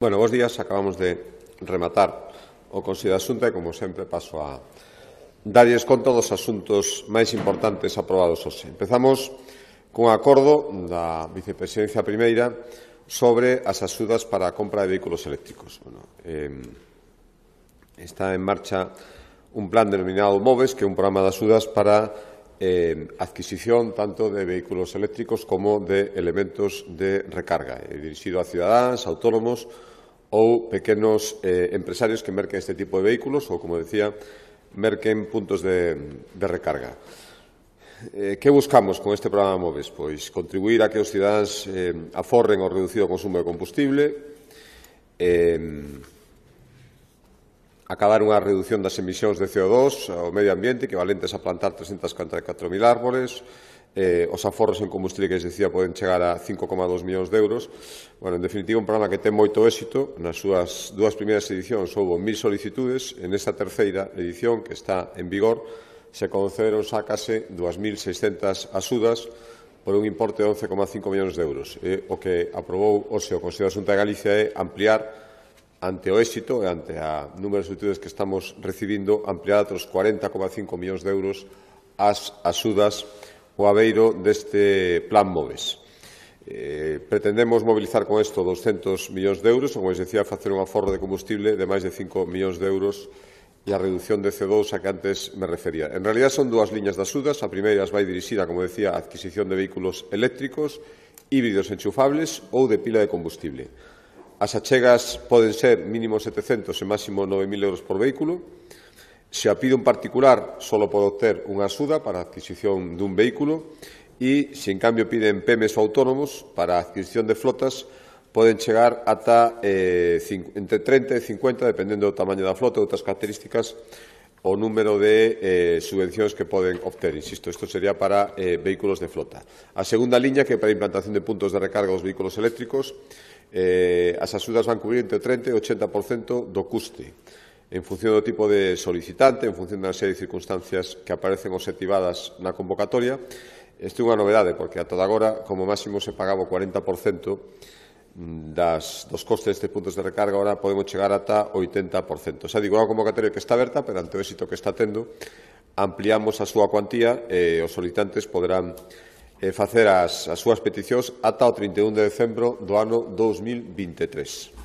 Bueno, bos días. Acabamos de rematar o Consello da Xunta e, como sempre, paso a darlles conta dos asuntos máis importantes aprobados hoxe. Empezamos cun acordo da Vicepresidencia Primeira sobre as axudas para a compra de vehículos eléctricos. Está en marcha un plan denominado MOVES, que é un programa de axudas para adquisición tanto de vehículos eléctricos como de elementos de recarga, dirixido a cidadáns, autónomos ou pequenos empresarios que merquen este tipo de vehículos ou, como decía, merquen puntos de recarga. Que buscamos con este programa MOVES? Pois contribuir a que os cidadáns aforren o reducido consumo de combustible, acabar unha reducción das emisións de CO2 ao medio ambiente equivalentes a plantar 344.000 árboles. Os aforros en combustible que les decía poden chegar a 5,2 millóns de euros. Bueno, en definitiva, un programa que ten moito éxito. Nas súas dúas primeiras edicións houve 1.000 solicitudes. En esta terceira edición, que está en vigor, se concederon xa case 2.600 axudas por un importe de 11,5 millóns de euros. O que aprobou hoxe o Consello da Xunta de Galicia é ampliar, ante o éxito e ante a número de solicitudes que estamos recibindo, ampliar a outros 40,5 millóns de euros as axudas o abeiro deste plan MOVES. Pretendemos mobilizar con isto 200 millóns de euros, como les decía, facer un aforro de combustible de máis de 5 millóns de euros e a reducción de CO2 a que antes me refería. En realidad son dúas liñas de axudas. A primeira vai dirixida, como decía, a adquisición de vehículos eléctricos, híbridos enchufables ou de pila de combustible. As achegas poden ser mínimo 700 e máximo 9.000 euros por vehículo. Se a pide un particular, só pode obter unha axuda para a adquisición dun vehículo e, se en cambio piden PEMES ou autónomos para a adquisición de flotas, poden chegar ata entre 30 e 50, dependendo do tamaño da flota e outras características, o número de subvencións que poden obter. Insisto, isto sería para vehículos de flota. A segunda liña, que é para a implantación de puntos de recarga dos vehículos eléctricos, as axudas van cubrir entre o 30 e o 80% do custe, en función do tipo de solicitante, en función da serie de circunstancias que aparecen obxectivadas na convocatoria. Isto é unha novedade, porque ata agora, como máximo, se pagaba o 40% dos costes de puntos de recarga. Agora podemos chegar ata o 80%. Xa digo, é unha convocatoria que está aberta, pero ante o éxito que está tendo, ampliamos a súa cuantía e os solicitantes poderán facer as súas peticións ata o 31 de decembro do ano 2023.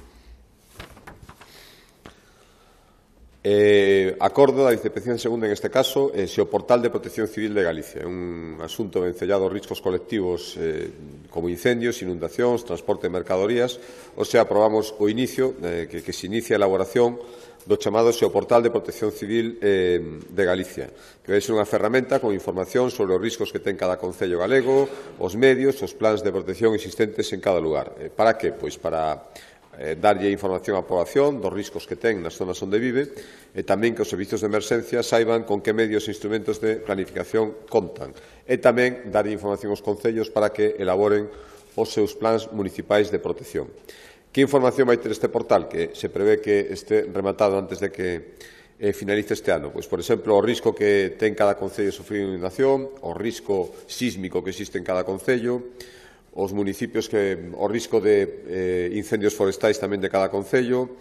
Acordo da Vicepresidencia Segunda, en este caso, se o portal de Protección Civil de Galicia. É un asunto vencellado aos riscos colectivos como incendios, inundacións, transporte de mercadorías. O sea, aprobamos o inicio, que se inicia a elaboración do chamado SEO Portal de Protección Civil de Galicia, que vai ser unha ferramenta con información sobre os riscos que ten cada concello galego, os medios, os plans de protección existentes en cada lugar. Para que? Pois para darlle información á poboación dos riscos que ten nas zonas onde vive e tamén que os servizos de emerxencia saiban con que medios e instrumentos de planificación contan, e tamén darlle información aos concellos para que elaboren os seus plans municipais de protección. Que información vai ter este portal, que se prevé que este rematado antes de que finalice este ano? Pois, por exemplo, o risco que ten cada concello de sufrir inundación, o risco sísmico que existe en cada concello, os municipios, o risco de incendios forestais tamén de cada concello,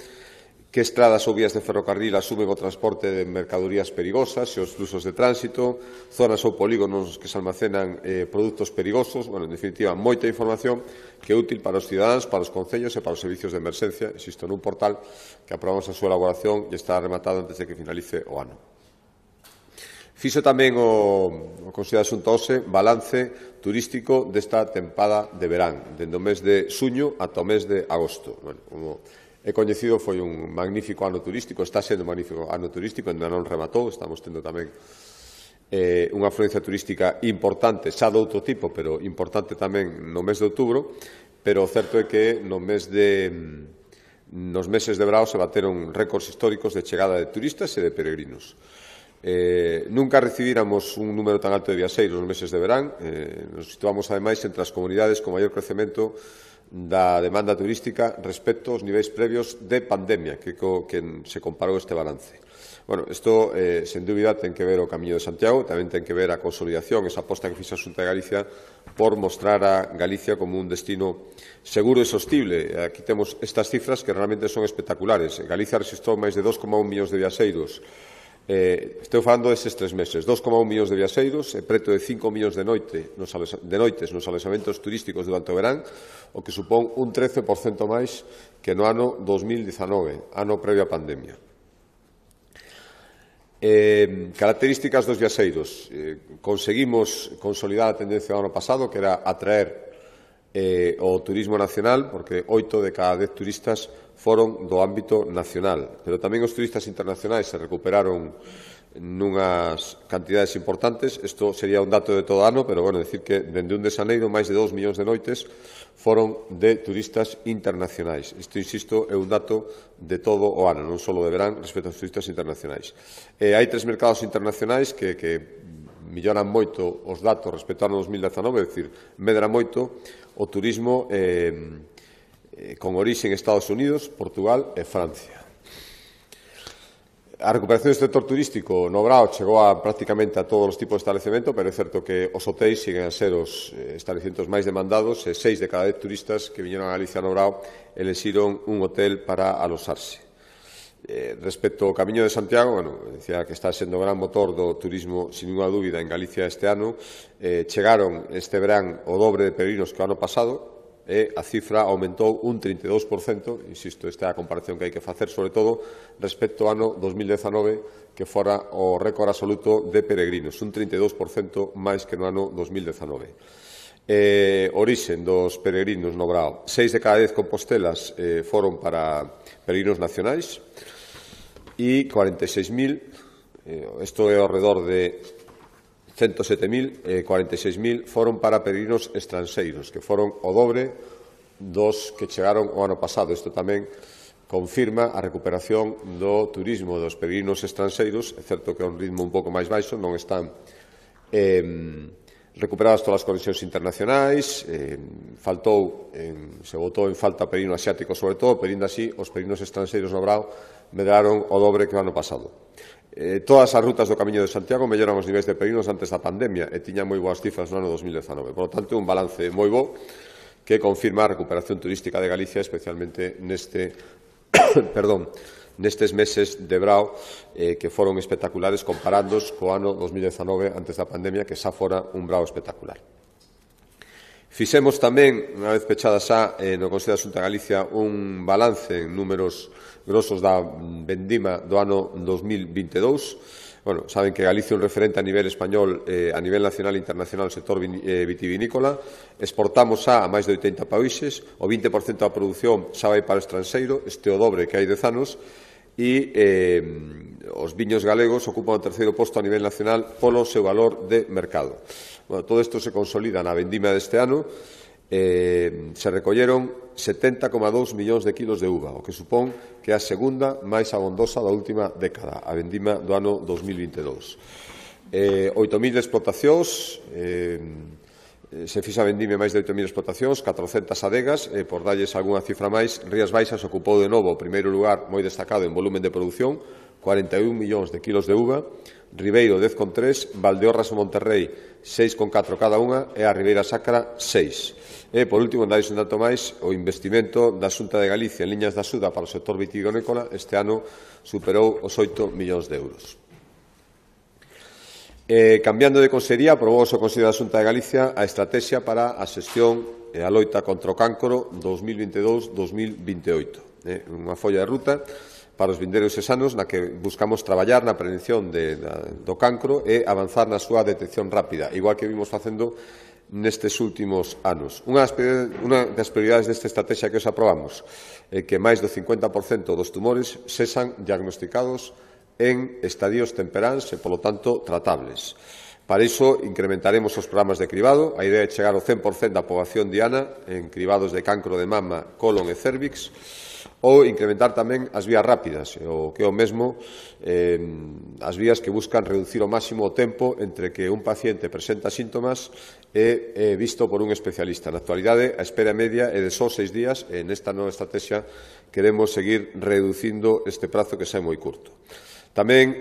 que estradas ou vías de ferrocarril asumen o transporte de mercadorías perigosas e os fluxos de tránsito, zonas ou polígonos que se almacenan produtos perigosos. Bueno, en definitiva, moita información que é útil para os cidadáns, para os concellos e para os servizos de emerxencia, insisto, nun portal que aprobamos a súa elaboración e está rematado antes de que finalice o ano. Fixo tamén o Consello da Xunta hoxe balance turístico desta tempada de verán, dende o mes de xuño ata o mes de agosto. Bueno, como é coñecido, foi un magnífico ano turístico, está sendo un magnífico ano turístico, ainda non rematou, estamos tendo tamén unha afluencia turística importante, xa de outro tipo, pero importante tamén no mes de outubro, pero o certo é que nos meses de verão se bateron récords históricos de chegada de turistas e de peregrinos. Nunca recibíramos un número tan alto de viaxeiros nos meses de verán. Nos situamos, ademais, entre as comunidades con maior crecemento da demanda turística respecto aos niveis previos de pandemia, que se comparou este balance. Bueno, isto, sen dúbida, ten que ver o Camiño de Santiago, tamén ten que ver a consolidación, esa aposta que fixa a Xunta de Galicia por mostrar a Galicia como un destino seguro e sostible. Aquí temos estas cifras que realmente son espectaculares. Galicia registrou máis de 2,1 millóns de viaxeiros. Estou falando destes 3 meses, 2,1 millóns de viaxeiros e preto de 5 millóns de noites nos alexamentos turísticos durante o verán, o que supón un 13% máis que no ano 2019, ano previo á pandemia. Características dos viaxeiros. Conseguimos consolidar a tendencia do ano pasado, que era atraer o turismo nacional, porque 8 de cada 10 turistas foron do ámbito nacional, pero tamén os turistas internacionais se recuperaron nunhas cantidades importantes. Isto sería un dato de todo ano, pero, bueno, decir que dende 1 de xaneiro máis de 2 millóns de noites foron de turistas internacionais. Isto, insisto, é un dato de todo o ano, non só de verán, respecto aos turistas internacionais. Hai 3 mercados internacionais que melloran moito os datos respecto ao ano 2019, é dicir, medra moito o turismo con orixe en Estados Unidos, Portugal e Francia. A recuperación do sector turístico no Brao chegou prácticamente a todos os tipos de establecemento, pero é certo que os hotéis siguen a ser os estabelecementos máis demandados e 6 de cada 10 turistas que viñeron a Galicia no Brao elixiron un hotel para alosarse. Respecto ao Camiño de Santiago, decía que está sendo gran motor do turismo, sin ninguna dúbida, en Galicia este ano. Chegaron este verán o dobre de peregrinos que o ano pasado, e a cifra aumentou un 32%, insisto, esta é a comparación que hai que facer, sobre todo, respecto ao ano 2019, que fora o récord absoluto de peregrinos, un 32% máis que no ano 2019. Orixen dos peregrinos no Brao. 6 de cada 10 compostelas foron para peregrinos nacionais e 46.000, isto é ao redor de 107.000 e 46.000 foron para peregrinos estranxeiros, que foron o dobre dos que chegaron o ano pasado. Isto tamén confirma a recuperación do turismo dos peregrinos estranxeiros. É certo que é un ritmo un pouco máis baixo, non están recuperadas todas as conexións internacionais, se botou en falta peregrino asiático sobre todo, pero ainda así os peregrinos estranxeiros no Brao medraron o dobre que o ano pasado. Todas as rutas do Camiño de Santiago melloran os niveis de peregrinos antes da pandemia e tiñan moi boas cifras no ano 2019. Por lo tanto, un balance moi bo que confirma a recuperación turística de Galicia, especialmente nestes meses de Brao que foron espectaculares comparándoos co ano 2019 antes da pandemia, que xa fora un Brao espectacular. Fixemos tamén, unha vez pechada xa no Consello da Xunta de Galicia, un balance en números grosos da vendima do ano 2022. Bueno, saben que Galicia é un referente a nivel español, a nivel nacional e internacional, no sector vitivinícola. Exportamos xa a máis de 80 países, o 20% da produción xa vai para o estranxeiro, este é o dobre que hai 10 anos, e os viños galegos ocupan o terceiro posto a nivel nacional polo seu valor de mercado. Bueno, todo isto se consolida na vendima deste ano. Se recolleron 70,2 millóns de kilos de uva, o que supón que é a segunda máis abondosa da última década, a vendima do ano 2022. 8.000 explotacións, se fixa a vendime máis de 8.000 explotacións, 400 adegas, por darlles algunha cifra máis, Rías Baixas ocupou de novo o primeiro lugar moi destacado en volumen de produción, 41 millóns de kilos de uva, Ribeiro 10,3, Valdeorras e Monterrey 6,4 cada unha e a Ribeira Sacra 6. E, por último, dais un dato máis, o investimento da Xunta de Galicia en liñas de axuda para o sector vitivinícola este ano superou os 8 millóns de euros. Cambiando de consellería, aprobou o Consello da Xunta de Galicia a estrategia para a xestión e a loita contra o cancro 2022-2028. Unha folla de ruta para os vindeiros anos na que buscamos traballar na prevención do cancro e avanzar na súa detección rápida, igual que vimos facendo nestes últimos anos. Unha das prioridades desta estrategia que os aprobamos é que máis do 50% dos tumores sexan diagnosticados en estadios temperáns e, polo tanto, tratables. Para iso, incrementaremos os programas de cribado. A idea é chegar ao 100% da poboación diana en cribados de cancro de mama, colon e cérvix. ou incrementar tamén as vías rápidas, o que é o mesmo as vías que buscan reducir ao máximo o tempo entre que un paciente presenta síntomas e é visto por un especialista. Na actualidade, a espera media é de só 6 días e nesta nova estrategia queremos seguir reducindo este prazo que xa é moi curto. Tamén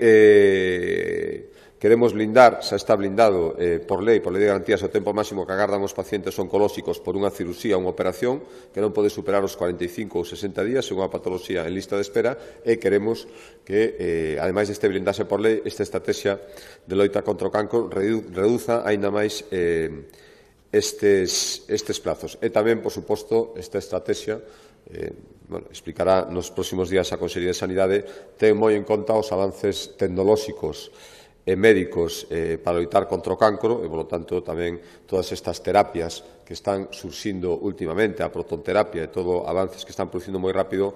queremos blindar, xa está blindado por lei de garantías o tempo máximo que agardan os pacientes oncolóxicos por unha cirurxía ou unha operación que non pode superar os 45 ou 60 días según a patoloxía en lista de espera e queremos que, ademais deste blindaxe por lei, esta estrategia de loita contra o cancro reduza aínda máis estes plazos. E tamén, por suposto, esta estrategia explicará nos próximos días a Consellería de Sanidade, ten moi en conta os avances tecnolóxicos e médicos para loitar contra o cancro e, polo tanto, tamén todas estas terapias que están surxindo últimamente, a protonterapia e todo avances que están producindo moi rápido,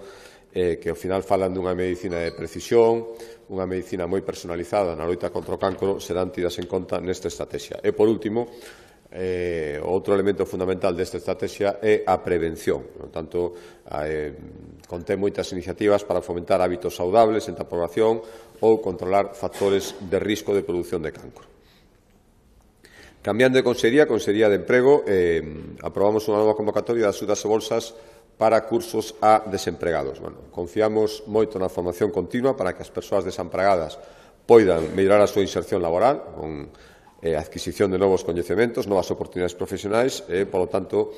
que ao final falan dunha medicina de precisión, unha medicina moi personalizada na loita contra o cancro, serán tidas en conta nesta estrategia. E, por último, outro elemento fundamental desta estrategia é a prevención. Por tanto, contén moitas iniciativas para fomentar hábitos saudables entre a población ou controlar factores de risco de produción de cancro. Cambiando de Consellería de Emprego, aprobamos unha nova convocatoria de axudas e bolsas para cursos a desempregados. Confiamos moito na formación continua para que as persoas desempregadas poidan mellorar a súa inserción laboral con adquisición de novos coñecementos, novas oportunidades profesionais e, polo tanto,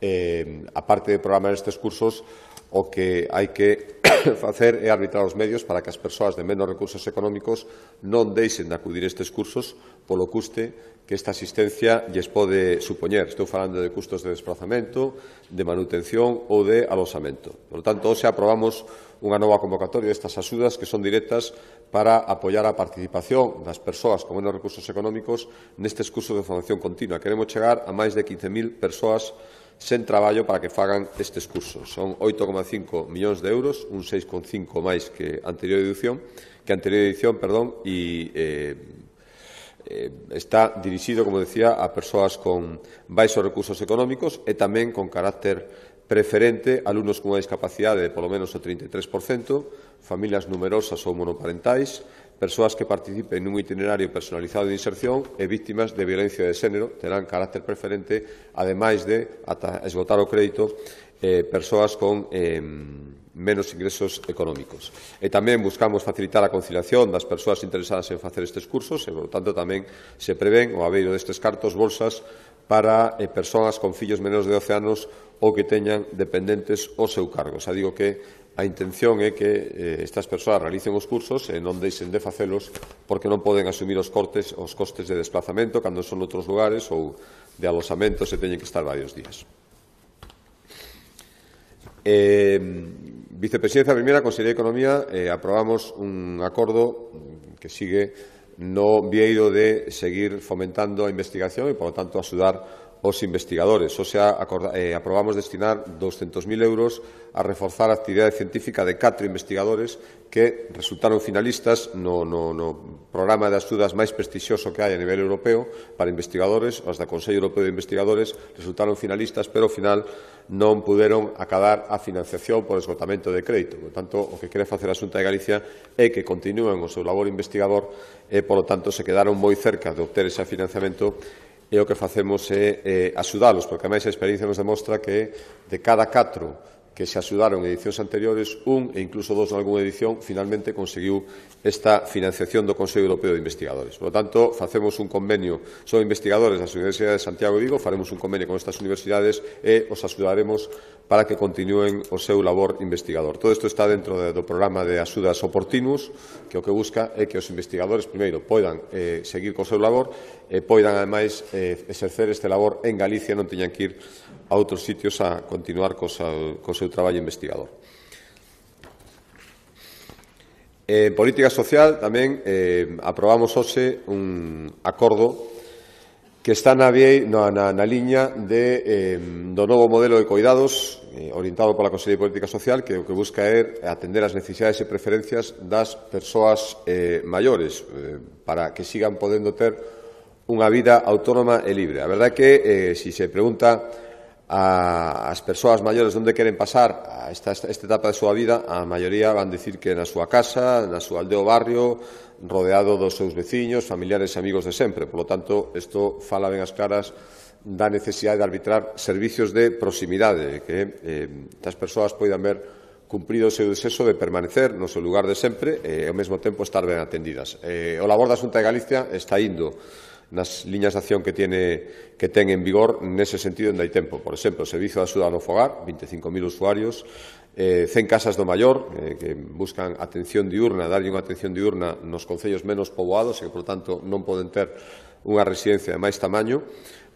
a parte de programar estes cursos, o que hai que facer é arbitrar os medios para que as persoas de menos recursos económicos non deixen de acudir a estes cursos polo custe que esta asistencia lles pode supoñer. Estou falando de custos de desplazamento, de manutención ou de alosamento. Por tanto, hoxe aprobamos unha nova convocatoria destas axudas que son directas para apoiar a participación das persoas con menos recursos económicos nestes cursos de formación continua. Queremos chegar a máis de 15.000 persoas sen traballo para que fagan estes cursos. Son 8,5 millóns de euros, un 6,5 máis que a anterior edición, e está dirixido, como decía, a persoas con baixos recursos económicos e tamén con carácter preferente a alumnos con unha discapacidade de polo menos o 33%, familias numerosas ou monoparentais, persoas que participen nun itinerario personalizado de inserción e víctimas de violencia de xénero terán carácter preferente, ademais de, ata esgotar o crédito, persoas con menos ingresos económicos. E tamén buscamos facilitar a conciliación das persoas interesadas en facer estes cursos e, por tanto, tamén se prevén o abeiro destes cartos bolsas para persoas con fillos menos de 12 anos ou que teñan dependentes ao seu cargo. Xa digo que a intención é que estas persoas realicen os cursos e non deixen de facelos porque non poden asumir os costes de desplazamento cando son noutros lugares ou de alosamento se teñen que estar varios días. Vicepresidencia Primeira, Consellería de Economía, aprobamos un acordo que sigue no vieiro de seguir fomentando a investigación e, por lo tanto, axudar os investigadores. O sea, aprobamos destinar 200.000 euros a reforzar a actividade científica de 4 investigadores que resultaron finalistas no programa de axudas máis prestixioso que hai a nivel europeo para investigadores. Os da Consello Europeo de Investigadores resultaron finalistas, pero ao final non puderon acadar a financiación por esgotamento de crédito. Por tanto, o que quere facer a Xunta de Galicia é que continúen o seu labor investigador e, por lo tanto, se quedaron moi cerca de obter ese financiamento e o que facemos é axudalos, porque, ademais, a experiencia nos demostra que de cada 4 que se axudaron en edicións anteriores, un e incluso 2 en algunha edición, finalmente conseguiu esta financiación do Consello Europeo de Investigadores. Por lo tanto, facemos un convenio, son investigadores das Universidades de Santiago e Vigo, faremos un convenio con estas universidades e os axudaremos para que continúen o seu labor investigador. Todo isto está dentro do programa de axudas oportunos, que o que busca é que os investigadores, primeiro, poidan seguir co seu labor e poidan, ademais, exercer este labor en Galicia e non teñan que ir a outros sitios a continuar co seu traballo investigador. En política social tamén aprobamos hoxe un acordo que está na liña do novo modelo de coidados orientado pola Consellería de Política Social, que o que busca é atender as necesidades e preferencias das persoas maiores para que sigan podendo ter unha vida autónoma e libre. A verdade é que, se se pregunta as persoas maiores onde queren pasar a esta etapa da súa vida, a maioría van dicir que na súa casa, na súa aldea ou barrio, rodeado dos seus veciños, familiares e amigos de sempre. Por lo tanto, isto fala ben as claras da necesidade de arbitrar servicios de proximidade, que as persoas poidan ver cumprido o seu desexo de permanecer no seu lugar de sempre e, ao mesmo tempo, estar ben atendidas. O labor da Xunta de Galicia está indo nas liñas de acción que ten en vigor nese sentido en hai tempo. Por exemplo, o Servicio de Axuda no Fogar, 25.000 usuarios, 100 casas do maior que buscan atención diurna, darlle unha atención diurna nos concellos menos poboados e que, por tanto, non poden ter unha residencia de máis tamaño.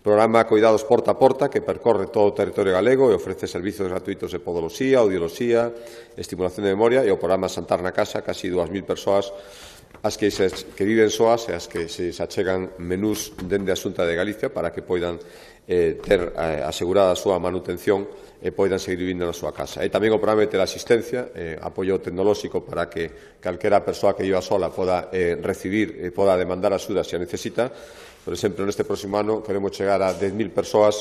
Programa Coidados Porta a Porta, que percorre todo o territorio galego e ofrece servizos gratuitos de podoloxía, audioloxía, estimulación de memoria, e o programa Santar na Casa, casi 2.000 persoas as que viven soas e as que se achegan menús dende a Xunta de Galicia para que poidan ter asegurada a súa manutención e poidan seguir vivindo na súa casa. E tamén o programa de teleasistencia, apoio tecnolóxico para que calquera persoa que viva sola poda recibir e poda demandar axuda se a necesita. Por exemplo, neste próximo ano queremos chegar a 10.000 persoas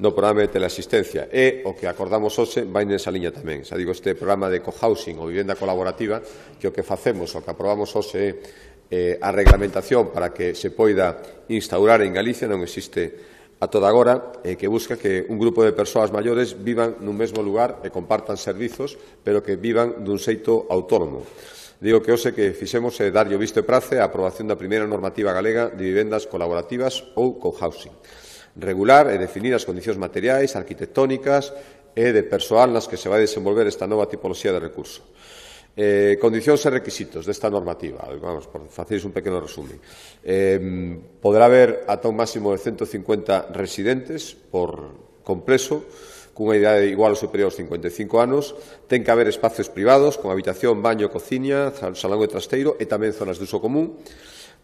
no programa de teleasistencia e o que acordamos hoxe vai nesa liña tamén. Xa digo, este programa de cohousing ou vivenda colaborativa, que o que facemos, o que aprobamos hoxe é a reglamentación para que se poida instaurar en Galicia, non existe a toda agora, que busca que un grupo de persoas maiores vivan nun mesmo lugar e compartan servizos, pero que vivan dun xeito autónomo. Digo que hoxe que fixemos é darlle o visto e prace á aprobación da primeira normativa galega de vivendas colaborativas ou cohousing. Regular e definir as condicións materiais, arquitectónicas e de persoal nas que se vai desenvolver esta nova tipoloxía de recurso. Condicións e requisitos desta normativa. Vamos, por faceres un pequeno resumen. Poderá haber ata un máximo de 150 residentes por complexo, cunha idade igual ou superior aos 55 anos, ten que haber espacios privados, con habitación, baño, cociña, salón e trasteiro e tamén zonas de uso común.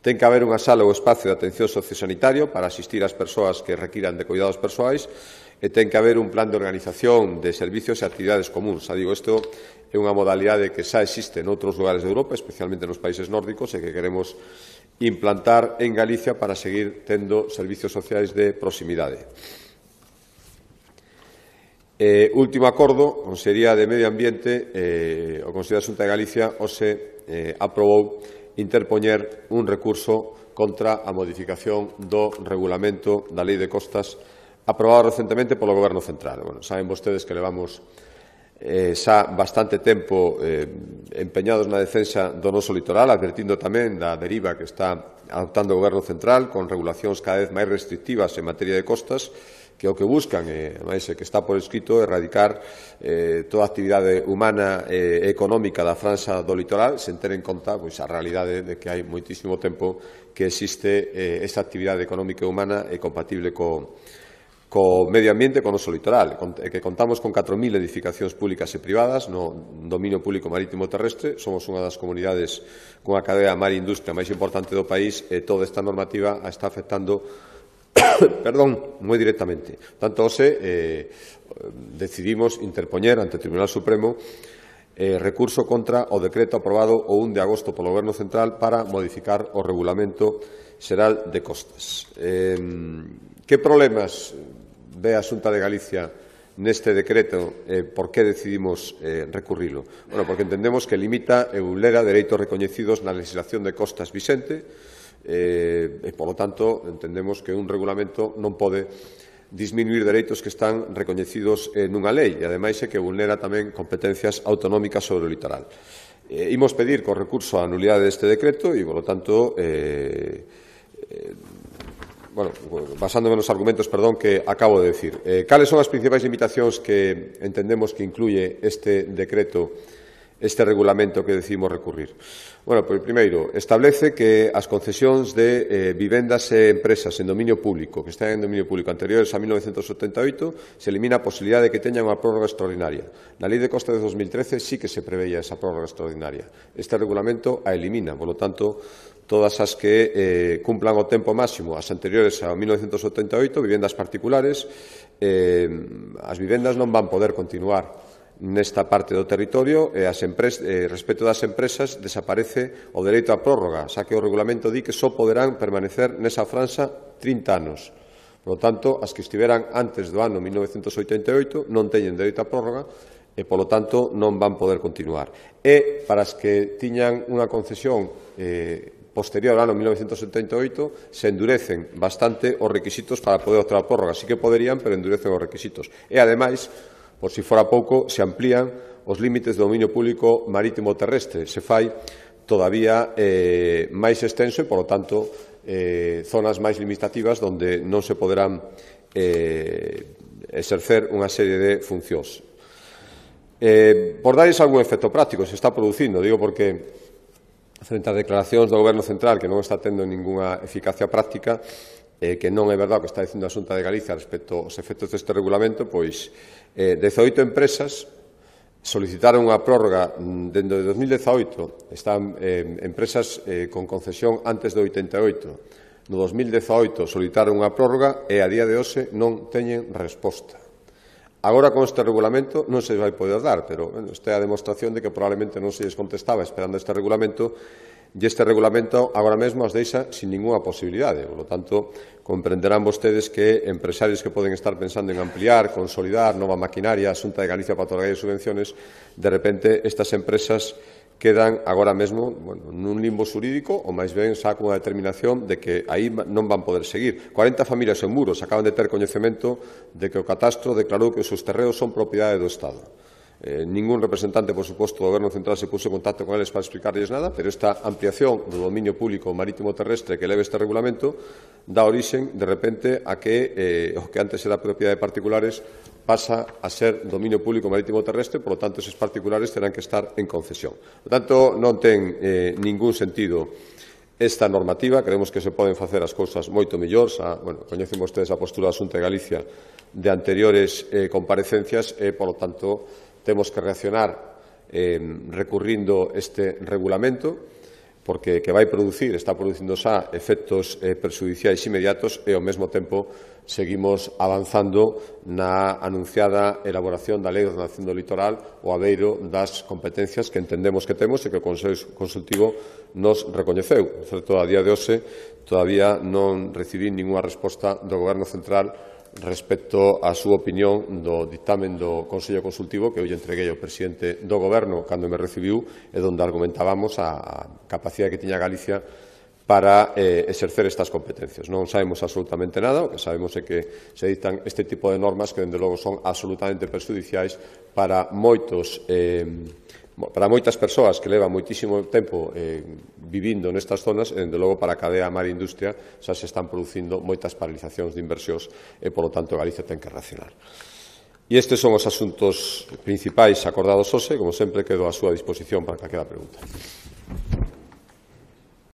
Ten que haber unha sala ou espacio de atención sociosanitario para asistir ás persoas que requiran de cuidados persoais e ten que haber un plan de organización de servicios e actividades comuns. Xa digo, isto é unha modalidade que xa existe noutros lugares de Europa, especialmente nos países nórdicos, e que queremos implantar en Galicia para seguir tendo servicios sociais de proximidade. Último acordo, a Consellería de Medio Ambiente, o Consello da Xunta de Galicia hoxe aprobou interpoñer un recurso contra a modificación do regulamento da Lei de Costas aprobado recentemente polo Goberno Central. Bueno, saben vostedes que levamos xa bastante tempo empeñados na defensa do noso litoral, advertindo tamén da deriva que está adoptando o Goberno Central con regulacións cada vez máis restrictivas en materia de costas, que o que buscan, máis que está por escrito, é erradicar toda a actividade humana e económica da franxa do litoral, sen ter en conta a realidade de que hai moitísimo tempo que existe esta actividade económica e humana e compatible co medio ambiente, co noso litoral, que contamos con 4.000 edificacións públicas e privadas no dominio público marítimo terrestre. Somos unha das comunidades con a cadea mar e industria máis importante do país e toda esta normativa está afectando moi directamente. Tanto hoxe decidimos interpoñer ante o Tribunal Supremo recurso contra o decreto aprobado o 1 de agosto polo Goberno Central para modificar o Regulamento Xeral de Costas. Que problemas ve a Xunta de Galicia neste decreto? Por que decidimos recurrilo? Bueno, porque entendemos que limita e vulnera dereitos recoñecidos na legislación de costas vixente e, polo tanto, entendemos que un regulamento non pode disminuir dereitos que están recoñecidos nunha lei e, ademais, que vulnera tamén competencias autonómicas sobre o litoral. Imos pedir co recurso a nulidade deste decreto e, polo tanto, basándome nos argumentos, que acabo de decir. Cales son as principais limitacións que entendemos que incluye este decreto, este regulamento que decidimos recurrir? Bueno, pois, primeiro, establece que as concesións de vivendas e empresas en dominio público, que están en dominio público anteriores a 1978, se elimina a posibilidad de que teñan unha prórroga extraordinaria. Na Lei de Costas de 2013 sí que se preveía esa prórroga extraordinaria. Este regulamento a elimina, polo tanto, todas as que cumplan o tempo máximo, as anteriores a 1978, vivendas particulares, as vivendas non van poder continuar nesta parte do territorio e respecto das empresas desaparece o dereito á prórroga, xa que o regulamento di que só poderán permanecer nesa franxa 30 anos. Por lo tanto, as que estiveran antes do ano 1988 non teñen dereito a prórroga e, polo tanto, non van poder continuar. E, para as que tiñan unha concesión posterior ao ano 1978, se endurecen bastante os requisitos para poder optar a prórroga. Sí que poderían, pero endurecen os requisitos. E, ademais, por si fora pouco, se amplían os límites do dominio público marítimo terrestre. Se fai todavía máis extenso e, polo tanto, zonas máis limitativas onde non se poderán exercer unha serie de funcións. Por darles algún efecto práctico, se está producindo, digo porque frente ás declaracións do Goberno Central que non está tendo ningunha eficacia práctica, que non é verdade o que está dicindo a Xunta de Galicia respecto aos efectos deste regulamento, pois 18 empresas solicitaron unha prórroga dende 2018, están empresas con concesión antes do 88. No 2018 solicitaron unha prórroga e a día de hoxe non teñen resposta. Agora, con este regulamento, non se vai poder dar, pero esta é a demostración de que probablemente non se lles contestaba esperando este regulamento, e este regulamento agora mesmo as deixa sin ninguna posibilidade. Por lo tanto, comprenderán vostedes que empresarios que poden estar pensando en ampliar, consolidar nova maquinaria, a Xunta de Galicia para otorgar subvenciones, de repente estas empresas quedan agora mesmo nun limbo xurídico ou máis ben xa con a determinación de que aí non van poder seguir. 40 familias en Muros acaban de ter coñecemento de que o catastro declarou que os seus terreos son propiedade do Estado. Ningún representante, por suposto, do Goberno Central se puso en contacto con eles para explicarles nada, pero esta ampliación do dominio público marítimo terrestre que leve este regulamento dá orixen, de repente, a que o que antes era propiedade de particulares pasa a ser dominio público marítimo terrestre, por lo tanto, esos particulares terán que estar en concesión. Por lo tanto, non ten ningún sentido esta normativa. Creemos que se poden facer as cousas moito mellor. Coñecen vostedes a postura da Xunta de Galicia de anteriores comparecencias e, por lo tanto, temos que reaccionar recurrindo este regulamento porque que vai producir, está producindo xa efectos perxudiciais inmediatos e ao mesmo tempo seguimos avanzando na anunciada elaboración da Lei de Ordenación do Litoral o abeiro das competencias que entendemos que temos e que o Consello Consultivo nos recoñeceu. Certo, a día de hoxe todavía non recibín ninguna resposta do Goberno Central respecto á súa opinión do dictamen do Consello Consultivo que eu lle entreguei ao presidente do Goberno cando me recibiu e onde argumentábamos a capacidade que tiña Galicia para exercer estas competencias. Non sabemos absolutamente nada, o que sabemos é que se dictan este tipo de normas que, dende logo, son absolutamente perxudiciais para moitas persoas que levan moitísimo tempo vivindo nestas zonas e, dende logo, para a cadea mar e industria xa se están producindo moitas paralizacións de inversións e, polo tanto, Galicia ten que reaccionar. E estes son os asuntos principais acordados hoxe. Como sempre, quedo á súa disposición para calquera pregunta.